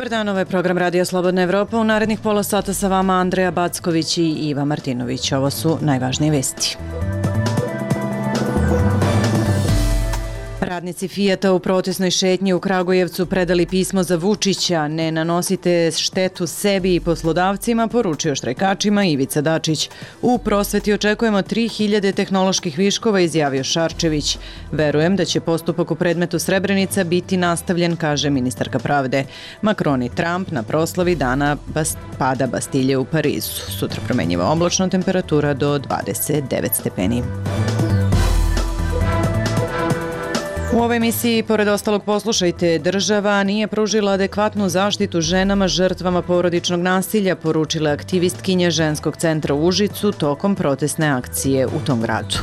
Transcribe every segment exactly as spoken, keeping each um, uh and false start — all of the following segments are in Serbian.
Dobar dan, ovo je program Radija Slobodna Evropa. U narednih pola sata sa vama Andreja Backović i Iva Martinović. Ovo su najvažnije vesti. Radnici Fijata u protestnoj šetnji u Kragujevcu predali pismo za Vučića. Ne nanosite štetu sebi i poslodavcima, poručio štrajkačima Ivica Dačić. U prosveti očekujemo tri hiljade tehnoloških viškova, izjavio Šarčević. Verujem da će postupak u predmetu Srebrenica biti nastavljen, kaže ministarka pravde. Macron i Trump na proslavi dana bast, pada Bastilje u Parizu. Sutra promenjiva oblačno, temperatura do dvadeset devet stepeni. U ovoj emisiji, pored ostalog, poslušajte, država nije pružila adekvatnu zaštitu ženama žrtvama porodičnog nasilja, poručila aktivistkinja ženskog centra u Užicu tokom protestne akcije u tom gradu.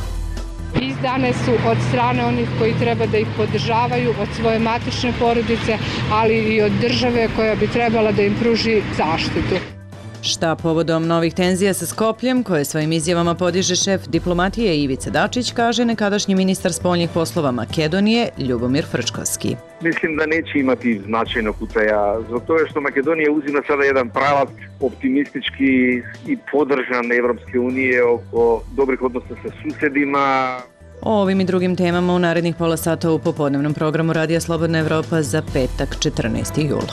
Izdane su od strane onih koji treba da ih podržavaju, od svoje matične porodice, ali i od države koja bi trebala da im pruži zaštitu. Šta povodom novih tenzija sa Skopljem, koje svojim izjavama podiže šef diplomatije Ivica Dačić, kaže nekadašnji ministar spoljnih poslova Makedonije Ljubomir Frčkovski. Mislim da neće imati značajnog uticaja, zbog toga što Makedonija uzima sada jedan pravac optimistički i podržan Evropske unije oko dobrih odnosa sa susedima. O ovim i drugim temama u narednih pola sata u popodnevnom programu Radija Slobodna Evropa za petak četrnaesti jul.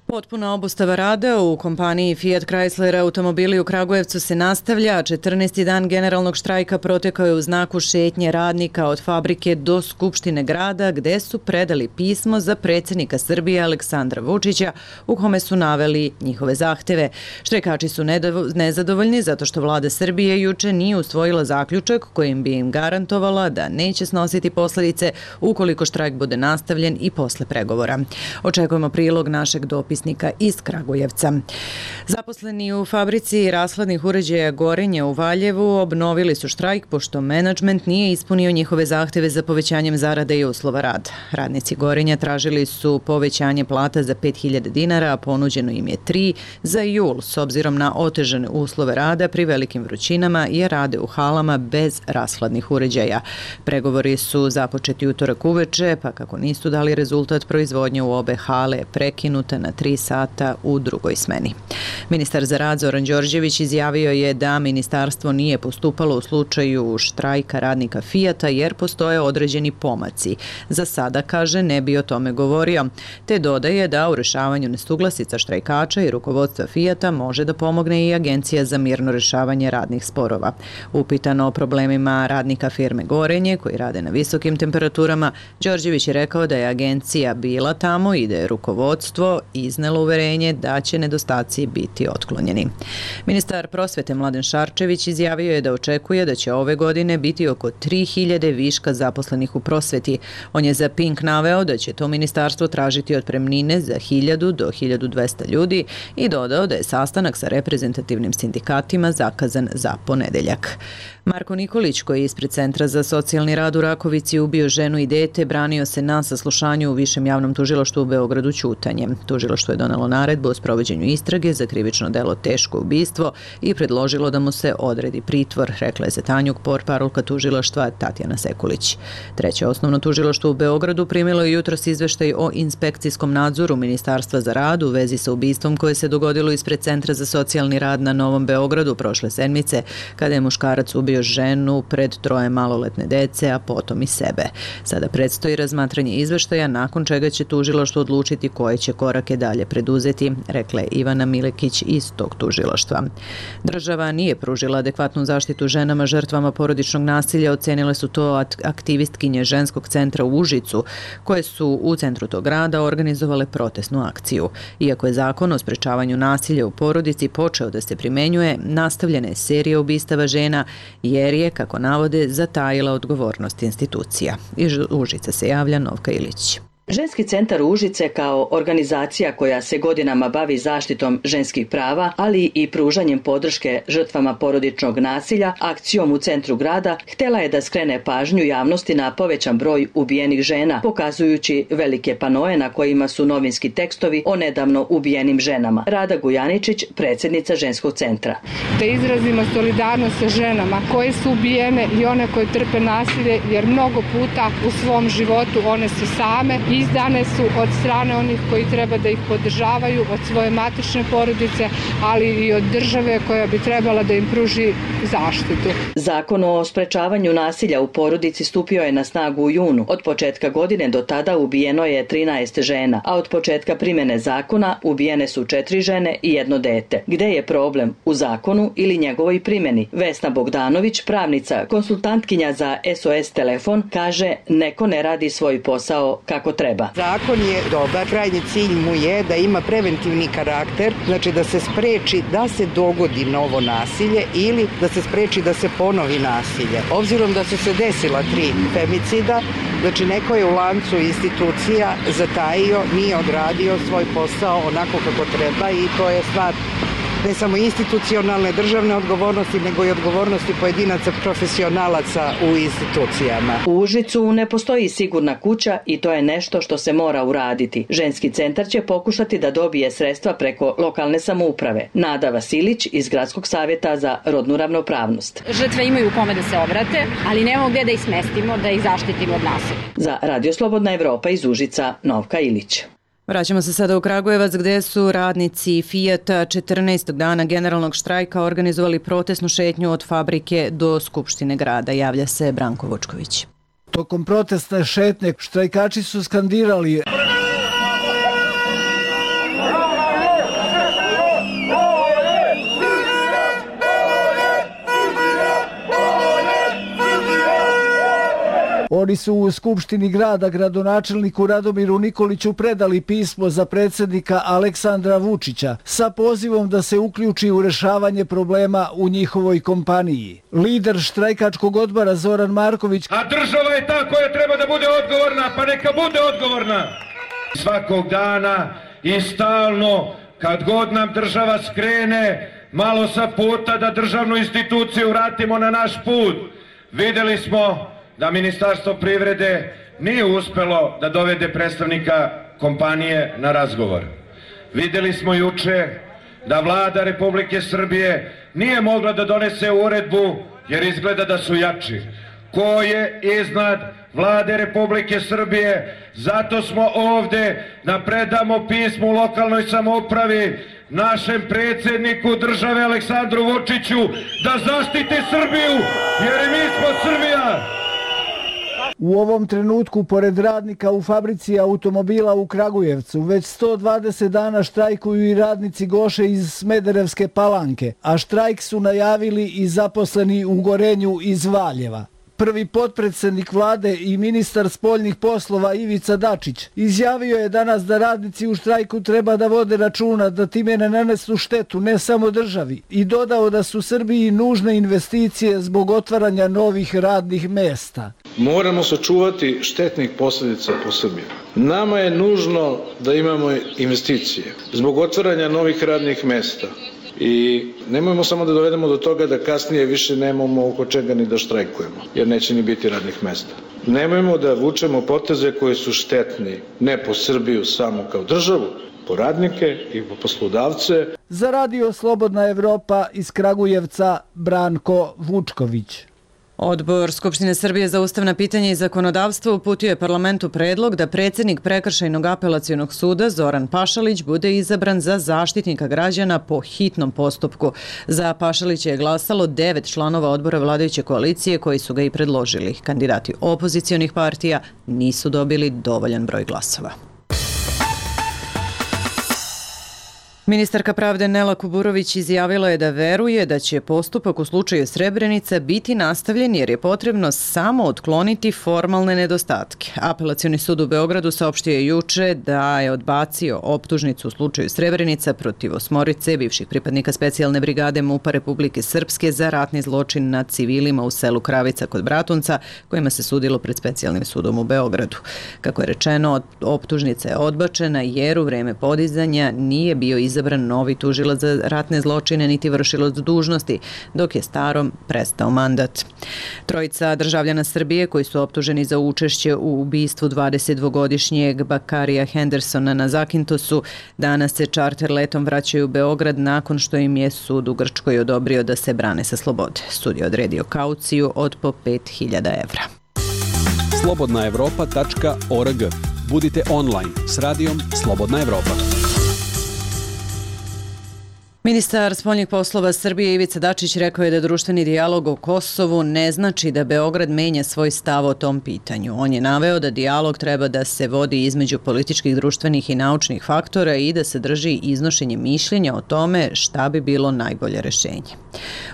Potpuna obustava rada u kompaniji Fiat Chrysler automobili u Kragujevcu se nastavlja. četrnaesti dan generalnog štrajka protekao je u znaku šetnje radnika od fabrike do Skupštine grada, gde su predali pismo za predsjednika Srbije Aleksandra Vučića u kome su naveli njihove zahteve. Štrajkači su nezadovoljni zato što vlada Srbije juče nije usvojila zaključak kojim bi im garantovala da neće snositi posljedice ukoliko štrajk bude nastavljen i posle pregovora. Očekujemo prilog našeg dopisa iz Kragujevca. Zaposleni u fabrici rashladnih uređaja Gorenje u Valjevu obnovili su štrajk pošto menadžment nije ispunio njihove zahteve za povećanjem zarade i uslova rada. Radnici Gorenja tražili su povećanje plata za pet hiljada dinara, a ponuđeno im je tri za jul s obzirom na otežane uslove rada pri velikim vrućinama jer rade u halama bez rashladnih uređaja. Pregovori su započeti utorak uveče, pa kako nisu dali rezultat, proizvodnja u obe hale je prekinuta na tri sata u drugoj smeni. Ministar za rad Zoran Đorđević izjavio je da ministarstvo nije postupalo u slučaju štrajka radnika Fijata jer postoje određeni pomaci. Za sada, kaže, ne bi o tome govorio, te dodaje da u rešavanju nesuglasica štrajkača i rukovodstva Fijata može da pomogne i Agencija za mirno rešavanje radnih sporova. Upitano o problemima radnika firme Gorenje koji rade na visokim temperaturama, Đorđević je rekao da je agencija bila tamo i da je rukovodstvo iznelo uverenje da će nedostaci biti otklonjeni. Ministar prosvete Mladen Šarčević izjavio je da očekuje da će ove godine biti oko tri hiljade viška zaposlenih u prosveti. On je za Pink naveo da će to ministarstvo tražiti otpremnine za hiljadu do hiljadu dvesta ljudi i dodao da je sastanak sa reprezentativnim sindikatima zakazan za ponedeljak. Marko Nikolić, koji je ispred Centra za socijalni rad u Rakovici ubio ženu i dete, branio se na saslušanju u Višem javnom tužilaštvu u Beogradu ćutanjem. Tužilaštvo je donelo naredbu o sprovođenju istrage za krivično delo teško ubistvo i predložilo da mu se odredi pritvor, rekla je za Tanjug portparolka tužilaštva Tatjana Sekulić. Treće osnovno tužilaštvo u Beogradu primilo je jutros izveštaj o inspekcijskom nadzoru Ministarstva za rad u vezi sa ubistvom koje se dogodilo ispred Centra za socijalni rad na Novom Beogradu prošle sedmice, kada je muškarac ubio ženu pred troje maloletne dece, a potom i sebe. Sada predstoji razmatranje izveštaja, nakon čega će tužilaštvo odlučiti koje će korake dalje preduzeti, rekla je Ivana Milekić iz tog tužilaštva. Država nije pružila adekvatnu zaštitu ženama žrtvama porodičnog nasilja, ocenile su to aktivistkinje ženskog centra u Užicu, koje su u centru tog grada organizovale protestnu akciju. Iako je zakon o sprečavanju nasilja u porodici počeo da se primenjuje, nastavljena je serija ubistava žena jer je, kako navode, zatajila odgovornost institucija. Iz Užica se javlja Novka Ilić. Ženski centar Užice kao organizacija koja se godinama bavi zaštitom ženskih prava, ali i pružanjem podrške žrtvama porodičnog nasilja, akcijom u centru grada, htjela je da skrene pažnju javnosti na povećan broj ubijenih žena, pokazujući velike panoe na kojima su novinski tekstovi o nedavno ubijenim ženama. Rada Gujaničić, predsjednica Ženskog centra. Da izrazimo solidarnost sa ženama koje su ubijene i one koje trpe nasilje, jer mnogo puta u svom životu one su same. Izdane su od strane onih koji treba da ih podržavaju, od svoje matične porodice, ali i od države koja bi trebala da im pruži zaštitu. Zakon o sprečavanju nasilja u porodici stupio je na snagu u junu. Od početka godine do tada ubijeno je trinaest žena, a od početka primjene zakona ubijene su četiri žene i jedno dete. Gde je problem? U zakonu ili njegovoj primjeni? Vesna Bogdanović, pravnica, konsultantkinja za S O S telefon, kaže neko ne radi svoj posao kako treba. Zakon je dobar, krajnji cilj mu je da ima preventivni karakter, znači da se spreči da se dogodi novo nasilje ili da se spreči da se ponovi nasilje. Obzirom da su se desila tri femicida, znači neko je u lancu institucija zatajio, nije odradio svoj posao onako kako treba i to je stvar ne samo institucionalne državne odgovornosti, nego i odgovornosti pojedinaca profesionalaca u institucijama. U Užicu ne postoji sigurna kuća i to je nešto što se mora uraditi. Ženski centar će pokušati da dobije sredstva preko lokalne samouprave. Nada Vasilić iz Gradskog savjeta za rodnu ravnopravnost. Žrtve imaju kome da se obrate, ali nemamo gdje da ih smestimo, da ih zaštitimo od nasilja. Za Radio Slobodna Evropa iz Užica, Novka Ilić. Vraćamo se sada u Kragujevac gdje su radnici Fijata četrnaestog dana generalnog štrajka organizovali protestnu šetnju od fabrike do Skupštine grada. Javlja se Branko Vučković. Tokom protestne šetnje štrajkači su skandirali Oni su u Skupštini grada gradonačelniku Radomiru Nikoliću predali pismo za predsjednika Aleksandra Vučića sa pozivom da se uključi u rješavanje problema u njihovoj kompaniji. Lider štrajkačkog odbora Zoran Marković: A država je ta koja treba da bude odgovorna, pa neka bude odgovorna. Svakog dana i stalno, kad god nam država skrene malo sa puta da državnu instituciju vratimo na naš put, vidjeli smo da Ministarstvo privrede nije uspelo da dovede predstavnika kompanije na razgovor. Vidjeli smo juče da vlada Republike Srbije nije mogla da donese uredbu jer izgleda da su jači. Ko je iznad vlade Republike Srbije? Zato smo ovde da predamo pismo u lokalnoj samoupravi našem predsjedniku države Aleksandru Vučiću da zaštiti Srbiju, jer i mi smo Srbija. U ovom trenutku, pored radnika u fabrici automobila u Kragujevcu, već sto dvadeset dana štrajkuju i radnici Goše iz Smederevske Palanke, a štrajk su najavili i zaposleni u Gorenju iz Valjeva. Prvi potpredsjednik vlade i ministar spoljnih poslova Ivica Dačić izjavio je danas da radnici u štrajku treba da vode računa da time ne nanesu štetu ne samo državi i dodao da su Srbiji nužne investicije zbog otvaranja novih radnih mesta. Moramo sačuvati štetnih posljedica po Srbiju. Nama je nužno da imamo investicije zbog otvaranja novih radnih mesta. I nemojmo samo da dovedemo do toga da kasnije više nemamo oko čega ni da štrajkujemo, jer neće ni biti radnih mesta. Nemojmo da vučemo poteze koji su štetni, ne po Srbiju samo kao državu, po radnike i po poslodavce. Za Radio Slobodna Evropa iz Kragujevca, Branko Vučković. Odbor Skupštine Srbije za ustavna pitanja i zakonodavstvo uputio je parlamentu predlog da predsjednik Prekršajnog apelacionog suda Zoran Pašalić bude izabran za zaštitnika građana po hitnom postupku. Za Pašalića je glasalo devet članova odbora vladajuće koalicije koji su ga i predložili. Kandidati opozicionih partija nisu dobili dovoljan broj glasova. Ministarka pravde Nela Kuburović izjavila je da veruje da će postupak u slučaju Srebrenica biti nastavljen jer je potrebno samo otkloniti formalne nedostatke. Apelacioni sud u Beogradu saopštio je juče da je odbacio optužnicu u slučaju Srebrenica protiv osmorice bivših pripadnika specijalne brigade MUP-a Republike Srpske za ratni zločin nad civilima u selu Kravica kod Bratunca, kojima se sudilo pred specijalnim sudom u Beogradu. Kako je rečeno, optužnica je odbačena jer u vreme podizanja nije bio izabran novi tužilac za ratne zločine niti vršilac dužnosti, dok je starom prestao mandat. Trojica državljana Srbije koji su optuženi za učešće u ubistvu dvadesetdvogodišnjeg Bakarija Hendersona na Zakintosu danas se čarter letom vraćaju u Beograd nakon što im je sud u Grčkoj odobrio da se brane sa slobode. Sud je odredio kauciju od po pet hiljada evra. slobodna evropa tačka org. Budite online s radijom Slobodna Evropa. Ministar spoljnih poslova Srbije Ivica Dačić rekao je da društveni dijalog o Kosovu ne znači da Beograd menja svoj stav o tom pitanju. On je naveo da dijalog treba da se vodi između političkih, društvenih i naučnih faktora i da se drži iznošenje mišljenja o tome šta bi bilo najbolje rešenje.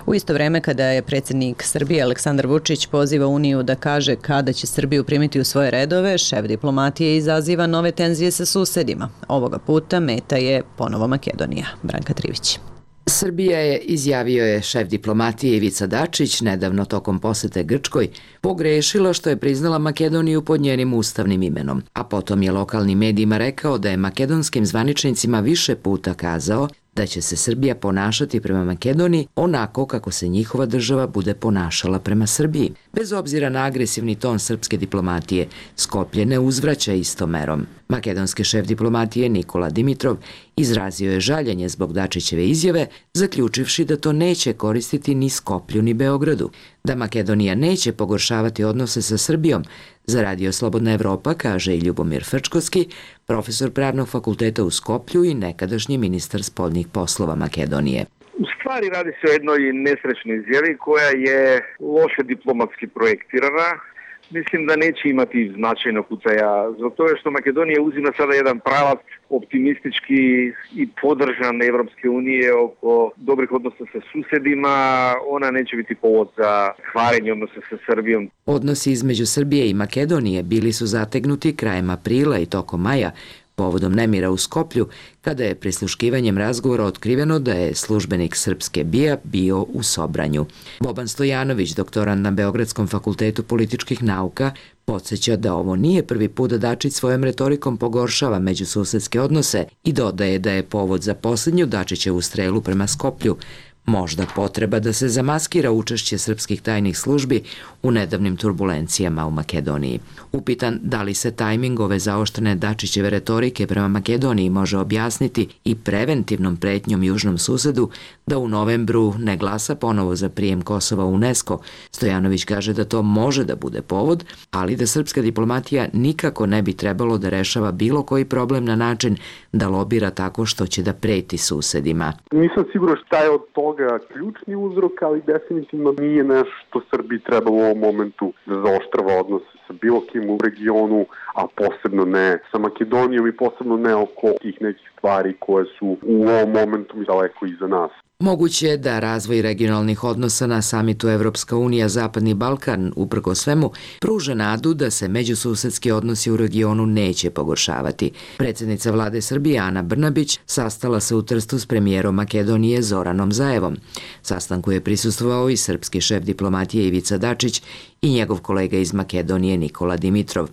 U isto vreme kada je predsjednik Srbije Aleksandar Vučić poziva Uniju da kaže kada će Srbiju primiti u svoje redove, šef diplomatije izaziva nove tenzije sa susedima. Ovoga puta meta je ponovo Makedonija. Branka Trivić. Srbija je, izjavio je šef diplomatije Ivica Dačić, nedavno tokom posete Grčkoj, pogrešila što je priznala Makedoniju pod njenim ustavnim imenom, a potom je lokalnim medijima rekao da je makedonskim zvaničnicima više puta kazao da će se Srbija ponašati prema Makedoniji onako kako se njihova država bude ponašala prema Srbiji. Bez obzira na agresivni ton srpske diplomatije, Skoplje ne uzvraća istom merom. Makedonski šef diplomatije Nikola Dimitrov izrazio je žaljenje zbog Dačićeve izjave, zaključivši da to neće koristiti ni Skoplju ni Beogradu, da Makedonija neće pogoršavati odnose sa Srbijom. Za Radio Slobodna Evropa kaže i Ljubomir Frčkovski, profesor pravnog fakulteta u Skoplju i nekadašnji ministar spoljnih poslova Makedonije. U stvari radi se o jednoj nesrećnoj izjavi koja je loše diplomatski projektirana. Mislim da neće imati značajnog uticaja, zbog toga što Makedonija uzima sada jedan pravac optimistički i podržan Evropske unije oko dobrih odnosa sa susedima. Ona neće biti povod za kvarenje odnosa sa Srbijom. Odnosi između Srbije i Makedonije bili su zategnuti krajem aprila i tokom maja, povodom nemira u Skoplju, kada je prisluškivanjem razgovora otkriveno da je službenik srpske B I A bio u Sobranju. Boban Stojanović, doktorant na Beogradskom fakultetu političkih nauka, podsjeća da ovo nije prvi put da Dačić svojom retorikom pogoršava međususedske odnose i dodaje da je povod za posljednju Dačićevu strelu prema Skoplju možda potreba da se zamaskira učešće srpskih tajnih službi u nedavnim turbulencijama u Makedoniji. Upitan da li se tajming ove zaoštrene Dačićeve retorike prema Makedoniji može objasniti i preventivnom pretnjom južnom susedu da u novembru ne glasa ponovo za prijem Kosova u UNESCO, Stojanović kaže da to može da bude povod, ali da srpska diplomatija nikako ne bi trebalo da rešava bilo koji problem na način da lobira tako što će da preti susedima. Nisam sigurno šta je od toga ključni uzrok, ali definitivno nije nešto što Srbiji treba u ovom momentu da zaoštrava odnose sa bilo kim u regionu, a posebno ne sa Makedonijom i posebno ne oko tih nekih stvari koje su u ovom momentu daleko iza nas. Moguće je da razvoj regionalnih odnosa na samitu Evropska unija Zapadni Balkan, uprko svemu, pruža nadu da se međususedski odnosi u regionu neće pogoršavati. Predsjednica vlade Srbije Ana Brnabić sastala se u Trstu s premijerom Makedonije Zoranom Zaevom. Sastanku je prisustvovao i srpski šef diplomatije Ivica Dačić i njegov kolega iz Makedonije Nikola Dimitrov.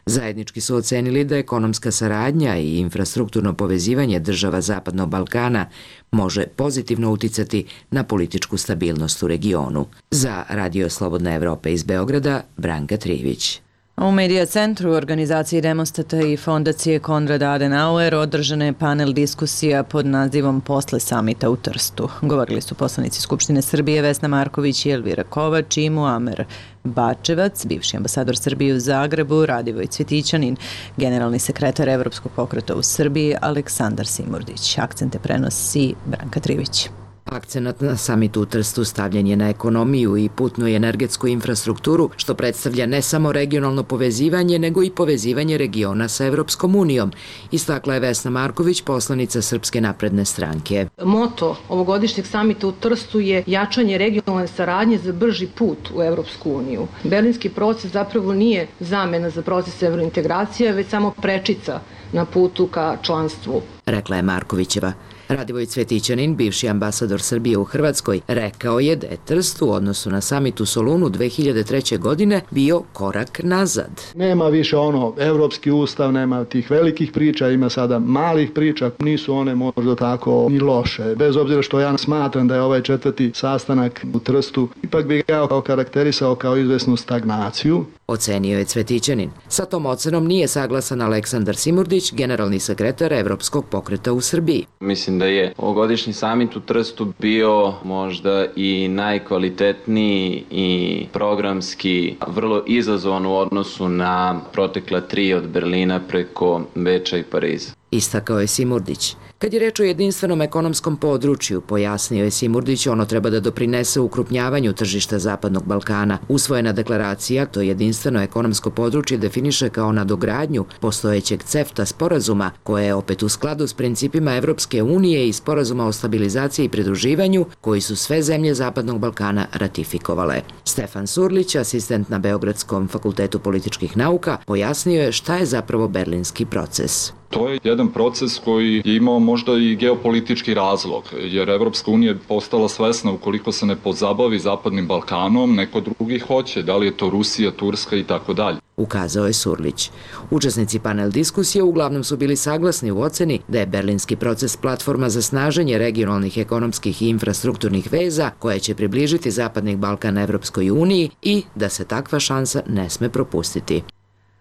Zajednički su ocenili da ekonomska saradnja i infrastrukturno povezivanje država Zapadnog Balkana može pozitivno uticati na političku stabilnost u regionu. Za Radio Slobodna Evropa iz Beograda, Branka Trivić. U Medija centru organizaciji Demostata i fondacije Konrad Adenauer održana je panel diskusija pod nazivom Posle samita u Trstu. Govorili su poslanici Skupštine Srbije Vesna Marković i Elvira Kovač i Muamer Bačevac, bivši ambasador Srbije u Zagrebu, Radivoj Cvjetićanin, generalni sekretar Evropskog pokreta u Srbiji Aleksandar Simurdić. Akcente prenosi Branka Trivić. Akcenat na samitu u Trstu stavljen je na ekonomiju i putnu i energetsku infrastrukturu, što predstavlja ne samo regionalno povezivanje, nego i povezivanje regiona sa Evropskom unijom, istakla je Vesna Marković, poslanica Srpske napredne stranke. Moto ovogodišnjeg samita u Trstu je jačanje regionalne saradnje za brži put u Evropsku uniju. Berlinski proces zapravo nije zamena za proces evrointegracije, već samo prečica na putu ka članstvu, rekla je Markovićeva. Radivoj Cvetićanin, bivši ambasador Srbije u Hrvatskoj, rekao je da je Trst u odnosu na samit u Solunu dve hiljade treće. godine bio korak nazad. Nema više ono evropski ustav, nema tih velikih priča, ima sada malih priča, nisu one možda tako ni loše. Bez obzira što ja smatram da je ovaj četvrti sastanak u Trstu, ipak bi ga okarakterisao kao izvesnu stagnaciju. Ocenio je Cvetićanin. Sa tom ocenom nije saglasan Aleksandar Simurdić, generalni sekretar Evropskog pokreta u Srbiji. Mislim da je ovogodišnji samit u Trstu bio možda i najkvalitetniji i programski vrlo izazovan u odnosu na protekla tri od Berlina preko Beča i Pariza. Istakao je Simurdić. Kad je reč o jedinstvenom ekonomskom području, pojasnio je Simurdić, ono treba da doprinese ukrupnjavanju tržišta Zapadnog Balkana. Usvojena deklaracija to jedinstveno ekonomsko područje definiše kao nadogradnju postojećeg CEFTA sporazuma, koje je opet u skladu s principima Evropske unije i sporazuma o stabilizaciji i pridruživanju, koji su sve zemlje Zapadnog Balkana ratifikovale. Stefan Surlić, asistent na Beogradskom fakultetu političkih nauka, pojasnio je šta je zapravo berlinski proces. To je jedan proces koji je imao možda i geopolitički razlog, jer Evropska unija je postala svesna ukoliko se ne pozabavi Zapadnim Balkanom, neko drugi hoće, da li je to Rusija, Turska i tako dalje. Ukazao je Surlić. Učesnici panel diskusije uglavnom su bili saglasni u oceni da je berlinski proces platforma za snaženje regionalnih ekonomskih i infrastrukturnih veza koje će približiti Zapadni Balkan Evropskoj uniji i da se takva šansa ne sme propustiti.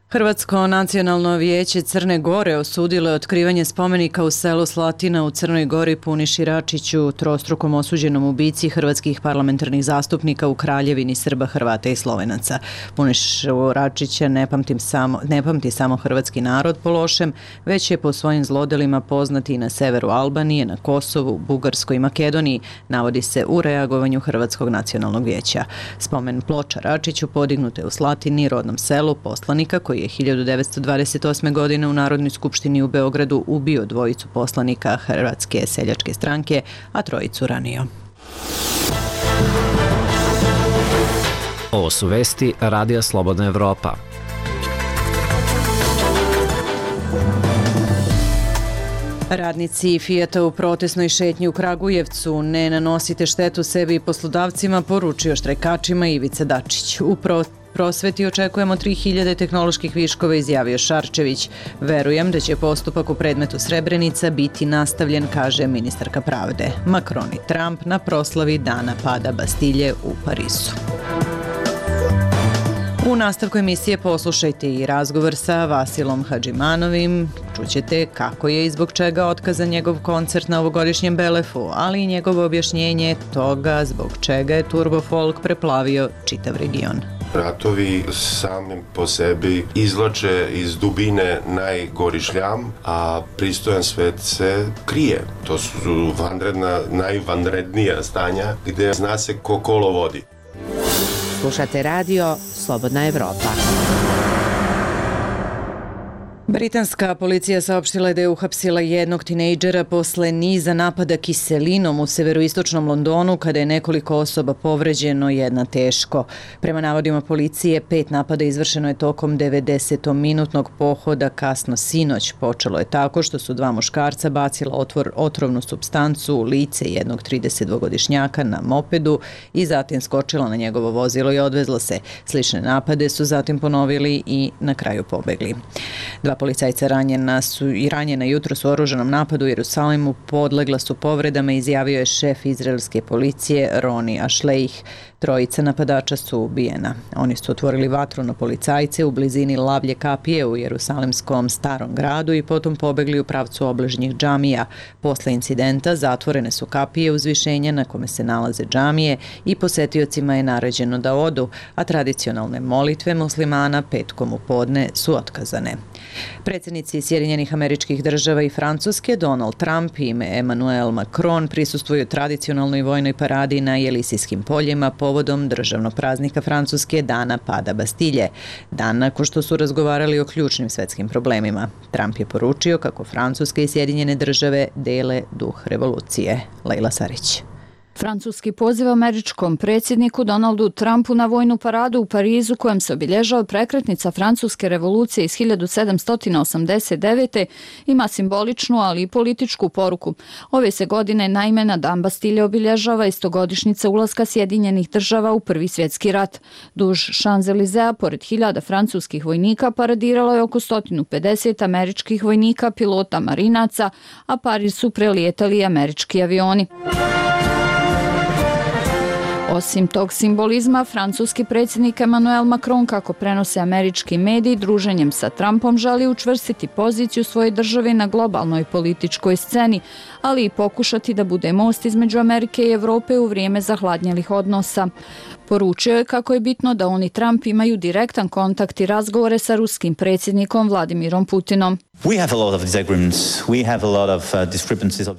Hrvatsko nacionalno vijeće Crne Gore osudilo je otkrivanje spomenika u selu Slatina u Crnoj Gori Puniši Račiću, trostrukom osuđenom ubici hrvatskih parlamentarnih zastupnika u Kraljevini Srba, Hrvata i Slovenaca. Punišu Račića ne pamti samo, ne pamti samo hrvatski narod po lošem, već je po svojim zlodelima poznati i na severu Albanije, na Kosovu, Bugarskoj i Makedoniji, navodi se u reagovanju Hrvatskog nacionalnog vijeća. Spomen ploča Račiću podignute u Slatini, rodnom selu poslanika koji je hiljadu devetsto dvadeset osme. godine u Narodnoj skupštini u Beogradu ubio dvojicu poslanika Hrvatske seljačke stranke, a trojicu ranio. Ovo su vesti Radija Slobodna Evropa. Radnici Fijata u protesnoj šetnji u Kragujevcu: ne nanosite štetu sebi i poslodavcima, poručio štrajkačima Ivica Dačić. U pro prosveti očekujemo tri hiljade tehnoloških viškova, izjavio Šarčević. Verujem da će postupak u predmetu Srebrenica biti nastavljen, kaže ministarka pravde. Macron i Trump na proslavi dana pada Bastilje u Parizu. U nastavku emisije poslušajte i razgovor sa Vasilom Hadžimanovim. Čućete kako je i zbog čega otkazan njegov koncert na ovogodišnjem Belefu, ali i njegovo objašnjenje toga zbog čega je turbo folk preplavio čitav region. Ratovi samim po sebi izvlače iz dubine najgori šljam, a pristojan svet se krije. To su vanredna, najvanrednija stanja gde zna se ko kolo vodi. Slušate radio Slobodna Evropa. Britanska policija saopštila je da je uhapsila jednog tinejdžera posle niza napada kiselinom u severoistočnom Londonu, kada je nekoliko osoba povređeno, jedna teško. Prema navodima policije, pet napada izvršeno je tokom devedesetominutnog pohoda kasno sinoć. Počelo je tako što su dva muškarca bacila otvor, otrovnu supstancu u lice jednog tridesetdvogodišnjaka na mopedu i zatim skočila na njegovo vozilo i odvezla se. Slične napade su zatim ponovili i na kraju pobegli. Dva policajca ranjena su i ranjena jutros u oružanom napadu u Jerusalimu podlegla su povredama, izjavio je šef izraelske policije Roni Ashleih. Trojica napadača su ubijena. Oni su otvorili vatru na policajce u blizini Lavlje kapije u Jerusalimskom starom gradu i potom pobegli u pravcu obližnjih džamija. Posle incidenta zatvorene su kapije uzvišenja na kome se nalaze džamije i posetiocima je naređeno da odu, a tradicionalne molitve muslimana petkom u podne su otkazane. Predsjednici Sjedinjenih Američkih Država i Francuske Donald Trump i Emmanuel Macron prisustvuju tradicionalnoj vojnoj paradi na Jelisijskim poljima povodom državnog praznika Francuske Dana pada Bastilje, dan nakon što su razgovarali o ključnim svetskim problemima. Trump je poručio kako Francuska i Sjedinjene Države dele duh revolucije. Lejla Sarić. Francuski poziv američkom predsjedniku Donaldu Trumpu na vojnu paradu u Parizu kojem se obilježava prekretnica francuske revolucije iz hiljadu sedamsto osamdeset devete ima simboličnu, ali i političku poruku. Ove se godine naime na Dan Bastilje obilježava istogodišnjica ulaska Sjedinjenih Država u Prvi svjetski rat. Duž Champs-Élysées, pored hiljada francuskih vojnika, paradiralo je oko sto pedeset američkih vojnika, pilota, marinaca, a Pariz su prelijetali i američki avioni. Osim tog simbolizma, francuski predsjednik Emmanuel Macron, kako prenose američki mediji, druženjem sa Trumpom želi učvrstiti poziciju svoje države na globalnoj političkoj sceni, ali i pokušati da bude most između Amerike i Evrope u vrijeme zahladnjelih odnosa. Poručio je kako je bitno da on i Trump imaju direktan kontakt i razgovore sa ruskim predsjednikom Vladimirom Putinom.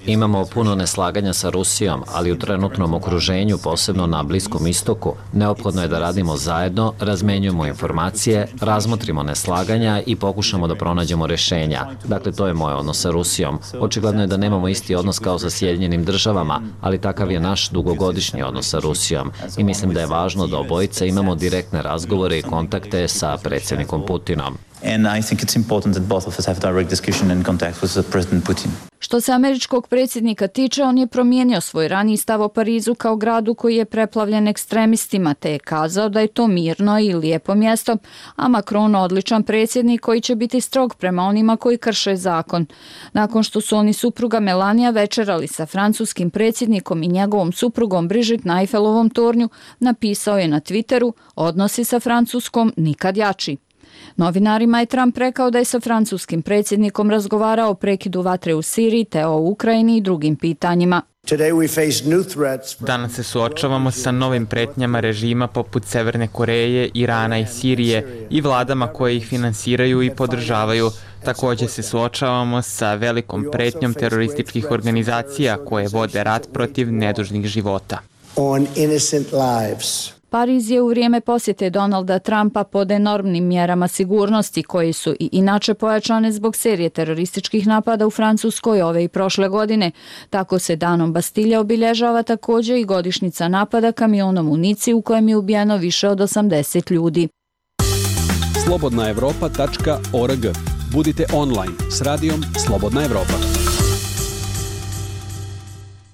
Imamo puno neslaganja sa Rusijom, ali u trenutnom okruženju, posebno na Bliskom istoku, neophodno je da radimo zajedno, razmenjujemo informacije, razmotrimo neslaganja i pokušamo da pronađemo rješenja. Dakle, to je moj odnos sa Rusijom. Očigledno je da nemamo isti odnos kao sa Sjedinjenim Državama, ali takav je naš dugogodišnji odnos sa Rusijom. I mislim da je važno da obojica imamo direktne razgovore i kontakte sa predsjednikom Putinom. And I think it's important that both of us have direct discussion and contact with President Putin. Što se američkog predsjednika tiče, on je promijenio svoj raniji stav o Parizu kao gradu koji je preplavljen ekstremistima, te je kazao da je to mirno i lijepo mjesto, a Macron odličan predsjednik koji će biti strog prema onima koji krše zakon. Nakon što su oni supruga Melania večerali sa francuskim predsjednikom i njegovom suprugom Brigitte na Eiffelovom tornju, napisao je na Twitteru: odnosi sa Francuskom nikad jači. Novinarima je Trump rekao da je sa francuskim predsjednikom razgovarao o prekidu vatre u Siriji te o Ukrajini i drugim pitanjima. Danas se suočavamo sa novim pretnjama režima poput Severne Koreje, Irana i Sirije i vladama koje ih finansiraju i podržavaju. Također se suočavamo sa velikom pretnjom terorističkih organizacija koje vode rat protiv nedužnih života. Pariz je u vrijeme posjete Donalda Trumpa pod enormnim mjerama sigurnosti koji su i inače pojačane zbog serije terorističkih napada u Francuskoj ove i prošle godine. Tako se Danom Bastilje obilježava također i godišnjica napada kamionom u Nici u kojem je ubijeno više od osamdeset ljudi. slobodna evropa tačka org. Budite online s radijom Slobodna Evropa.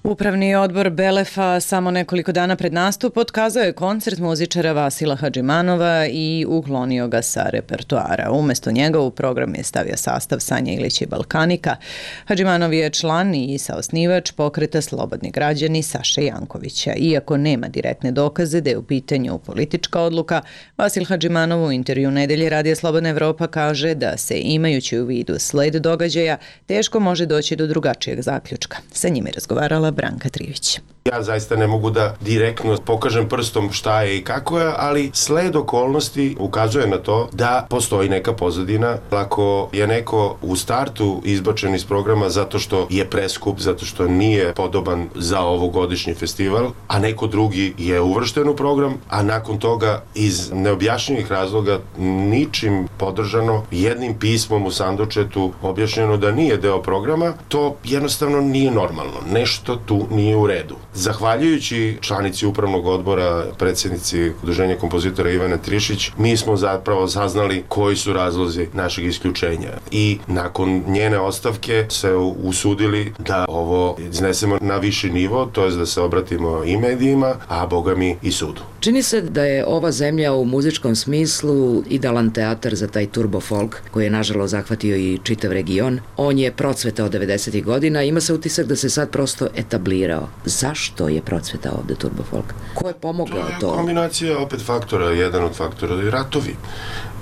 Upravni odbor Belefa samo nekoliko dana pred nastup otkazao je koncert muzičara Vasila Hadžimanova i uklonio ga sa repertoara. Umjesto njega u program je stavio sastav Sanja Ilića i Balkanika. Hadžimanov je član i saosnivač pokreta Slobodni građani Saše Jankovića. Iako nema direktne dokaze da je u pitanju politička odluka, Vasil Hadžimanov u intervju Nedelje Radija Slobodna Evropa kaže da se, imajući u vidu sled događaja, teško može doći do drugačijeg zaključka. Sa njim je razgovarala Branka Trivić. Ja zaista ne mogu da direktno pokažem prstom šta je i kako je, ali sled okolnosti ukazuje na to da postoji neka pozadina. Ako je neko u startu izbačen iz programa zato što je preskup, zato što nije podoban za ovogodišnji festival, a neko drugi je uvršten u program, a nakon toga iz neobjašnjivih razloga ničim podržano, jednim pismom u sandučetu objašnjeno da nije deo programa, to jednostavno nije normalno. Nešto tu nije u redu. Zahvaljujući članici upravnog odbora, predsjednici Udruženja kompozitora Ivane Trišić, mi smo zapravo saznali koji su razlozi našeg isključenja. I nakon njene ostavke se usudili da ovo iznesemo na viši nivo, to je da se obratimo i medijima, a boga mi i sudu. Čini se da je ova zemlja u muzičkom smislu idealan teatar za taj turbo folk koji je nažalost zahvatio i čitav region. On je procvetao devedesetih godina, ima se utisak da se sad prosto etablirao. Zašto Zašto je procvetao ovde turbo folk? Ko je pomogao to? To je kombinacija opet faktora, jedan od faktora je ratovi.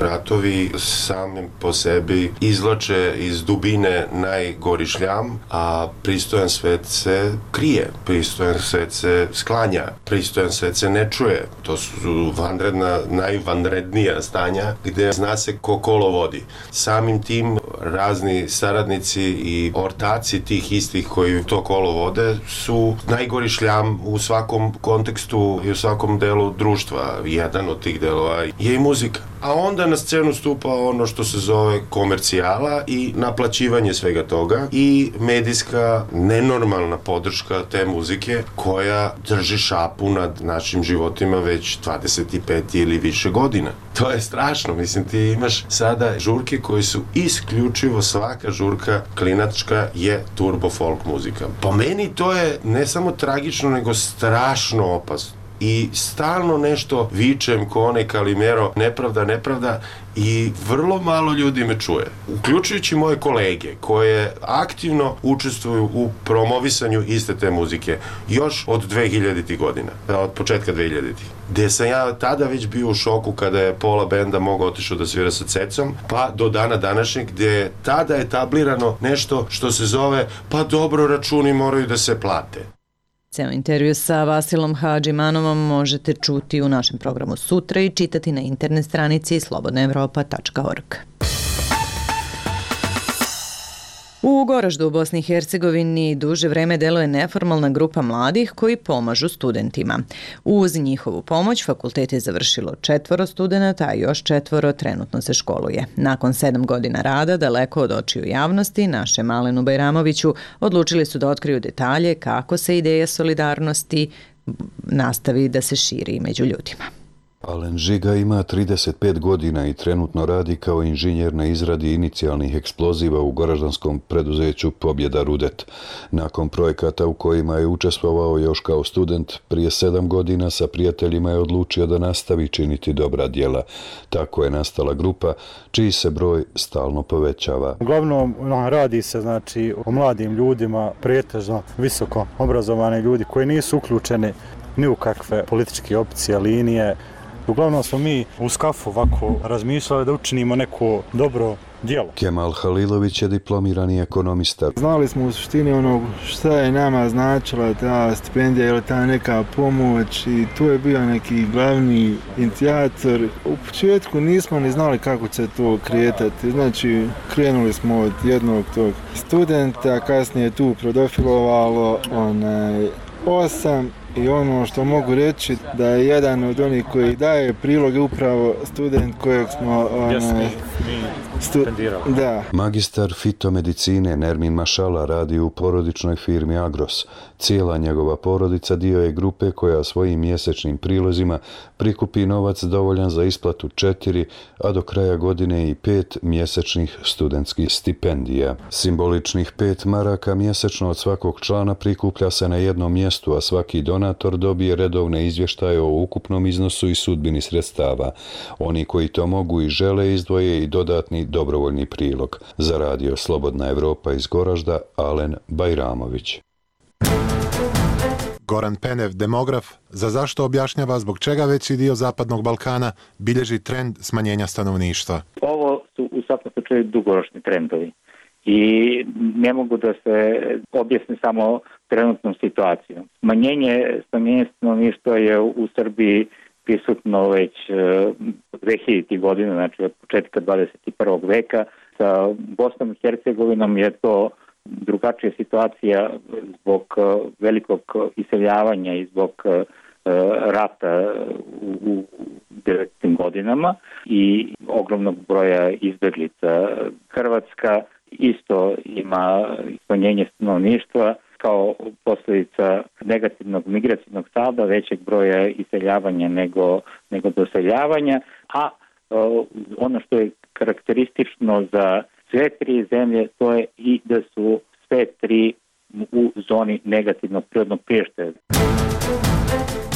Ratovi samim po sebi izvlače iz dubine najgori šljam, a pristojan svet se krije, pristojan svet se sklanja, pristojan svet se ne čuje. To su vanredna, najvanrednija stanja gde zna se ko kolo vodi. Samim tim razni saradnici i ortaci tih istih koji to kolo vode su najgori šljam u svakom kontekstu i u svakom delu društva. Jedan od tih delova je i muzika. A onda na scenu stupa ono što se zove komercijala i naplaćivanje svega toga i medijska nenormalna podrška te muzike koja drži šapu nad našim životima već dvadeset pet ili više godina. To je strašno, mislim ti imaš sada žurke koji su isključivo svaka žurka klinačka je turbo folk muzika. Po meni to je ne samo tragično nego strašno opasno. I stalno nešto vičem ko onaj Kalimero, nepravda, nepravda i vrlo malo ljudi me čuje. Uključujući moje kolege koje aktivno učestvuju u promovisanju iste te muzike još od dve hiljaditih godina, od početka dve hiljaditih. Gde sam ja tada već bio u šoku kada je pola benda mogao otišao da svira sa Cecom, pa do dana današnjeg gde je tada etablirano nešto što se zove pa dobro računi moraju da se plate. Ceo intervju sa Vasilom Hadžimanovom možete čuti u našem programu sutra i čitati na internet stranici slobodna evropa tačka org. U Goraždu u Bosni i Hercegovini duže vreme deluje neformalna grupa mladih koji pomažu studentima. Uz njihovu pomoć fakultet je završilo četvoro studenata, a još četvoro trenutno se školuje. Nakon sedam godina rada, daleko od očiju javnosti, našem Malenu Bajramoviću odlučili su da otkriju detalje kako se ideja solidarnosti nastavi da se širi među ljudima. Alen Žiga ima trideset pet godina i trenutno radi kao inženjer na izradi inicijalnih eksploziva u goraždanskom preduzeću Pobjeda Rudet. Nakon projekata u kojima je učestvovao još kao student, prije sedam godina sa prijateljima je odlučio da nastavi činiti dobra djela. Tako je nastala grupa, čiji se broj stalno povećava. Uglavnom radi se znači o mladim ljudima, pretežno visoko obrazovani ljudi koji nisu uključeni ni u kakve političke opcije, linije. Uglavnom smo mi u skafu ovako razmišljali da učinimo neko dobro djelo. Kemal Halilović je diplomirani ekonomista. Znali smo u suštini onog šta je nama značila ta stipendija ili ta neka pomoć i tu je bio neki glavni inicijator. U početku nismo ni znali kako će to kretati. Znači, krenuli smo od jednog tog studenta, kasnije tu prodofilovalo onaj osam. I ono što mogu reći da je jedan od onih koji daje priloge upravo student kojeg smo onaj, stu, da. Magistar fitomedicine Nermin Mašala radi u porodičnoj firmi Agros. Cijela njegova porodica dio je grupe koja svojim mjesečnim prilozima prikupi novac dovoljan za isplatu četiri, a do kraja godine i pet mjesečnih studentskih stipendija. Simboličnih pet maraka mjesečno od svakog člana prikuplja se na jednom mjestu, a svaki donator dobije redovne izvještaje o ukupnom iznosu i sudbini sredstava. Oni koji to mogu i žele izdvoje i dodatni dobrovoljni prilog. Za radio Slobodna Evropa iz Goražda, Alen Bajramović. Goran Penev, demograf, za zašto objašnjava zbog čega veći dio Zapadnog Balkana bilježi trend smanjenja stanovništva. Ovo su u svakom slučaju dugoročni trendovi i ne mogu da se objasne samo trenutnom situacijom. Smanjenje, smanjenje stanovništva je u Srbiji prisutno već dve hiljaditih godina, znači od početka dvadeset prvog veka. Sa Bosnom i Hercegovinom je to drugačija situacija zbog velikog iseljavanja i zbog rata u devedesetim godinama i ogromnog broja izbjeglica. Hrvatska isto ima smanjenje stanovništva kao posljedica negativnog migracijnog salda, većeg broja iseljavanja nego, nego doseljavanja, a ono što je karakteristično za sve tri zemlje, to je i da su sve tri u zoni negativnog prirodnog priraštaja.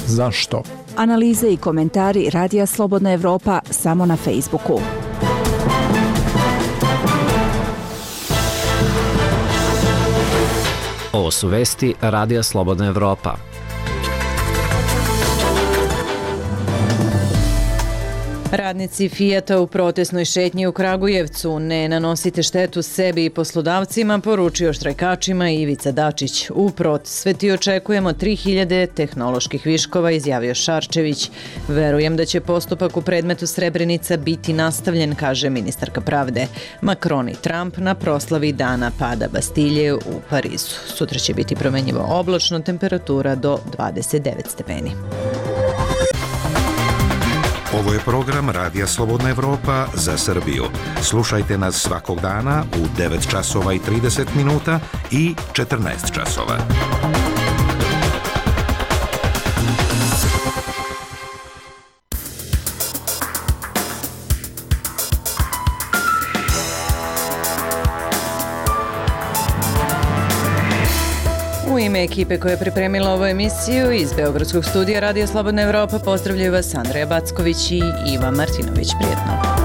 Zašto? Analize i komentari Radija Slobodna Evropa samo na Facebooku. Ovo su vesti Radija Slobodna Evropa. Radnici Fijata u protestnoj šetnji u Kragujevcu: ne nanosite štetu sebi i poslodavcima, poručio štrajkačima Ivica Dačić. U prosveti očekujemo tri hiljade tehnoloških viškova, izjavio Šarčević. Verujem da će postupak u predmetu Srebrenica biti nastavljen, kaže ministarka pravde. Macron i Trump na proslavi dana pada Bastilje u Parizu. Sutra će biti promenjivo oblačno, temperatura do dvadeset devet stepeni. Ovo je program Radija Slobodna Evropa za Srbiju. Slušajte nas svakog dana u devet časova i trideset minuta i četrnaest časova. U ime ekipe koja je pripremila ovu emisiju iz Beogradskog studija Radija Slobodna Evropa pozdravljaju vas Andreja Backović i Iva Martinović. Prijetno.